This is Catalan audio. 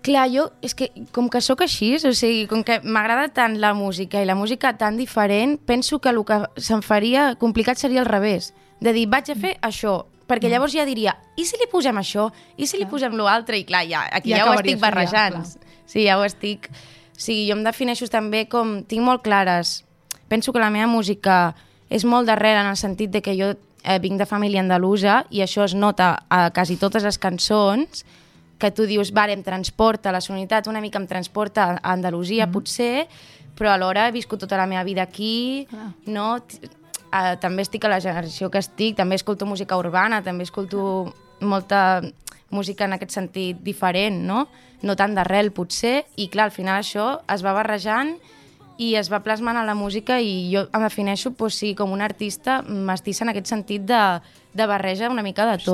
Clar, jo, és que com que sóc així, o sigui, com que m'agrada tant la música i la música tan diferent, penso que el que se'm faria complicat seria al revés, de dir, vaig a fer això, perquè llavors ja diria, i si li posem això? I si li posem l'altre? I clar, aquí ja ho estic barrejant. Sí, ja ho estic... O sigui, jo em defineixo també com... Tinc molt clares. Penso que la meva música és molt darrere en el sentit de que jo vinc de família andalusa i això es nota a quasi totes les cançons, que tu dius, vale, em transporta, la sonoritat una mica em transporta a Andalusia, potser, però alhora he viscut tota la meva vida aquí, no... també estic a la generació que estic, també escolto música urbana, també escolto molta música en aquest sentit diferent, no? No tant d'arrel, potser, i clar, al final això es va barrejant i es va plasmant a la música i jo em defineixo, doncs, sí, com una artista mestissa en aquest sentit de barreja una mica de tot.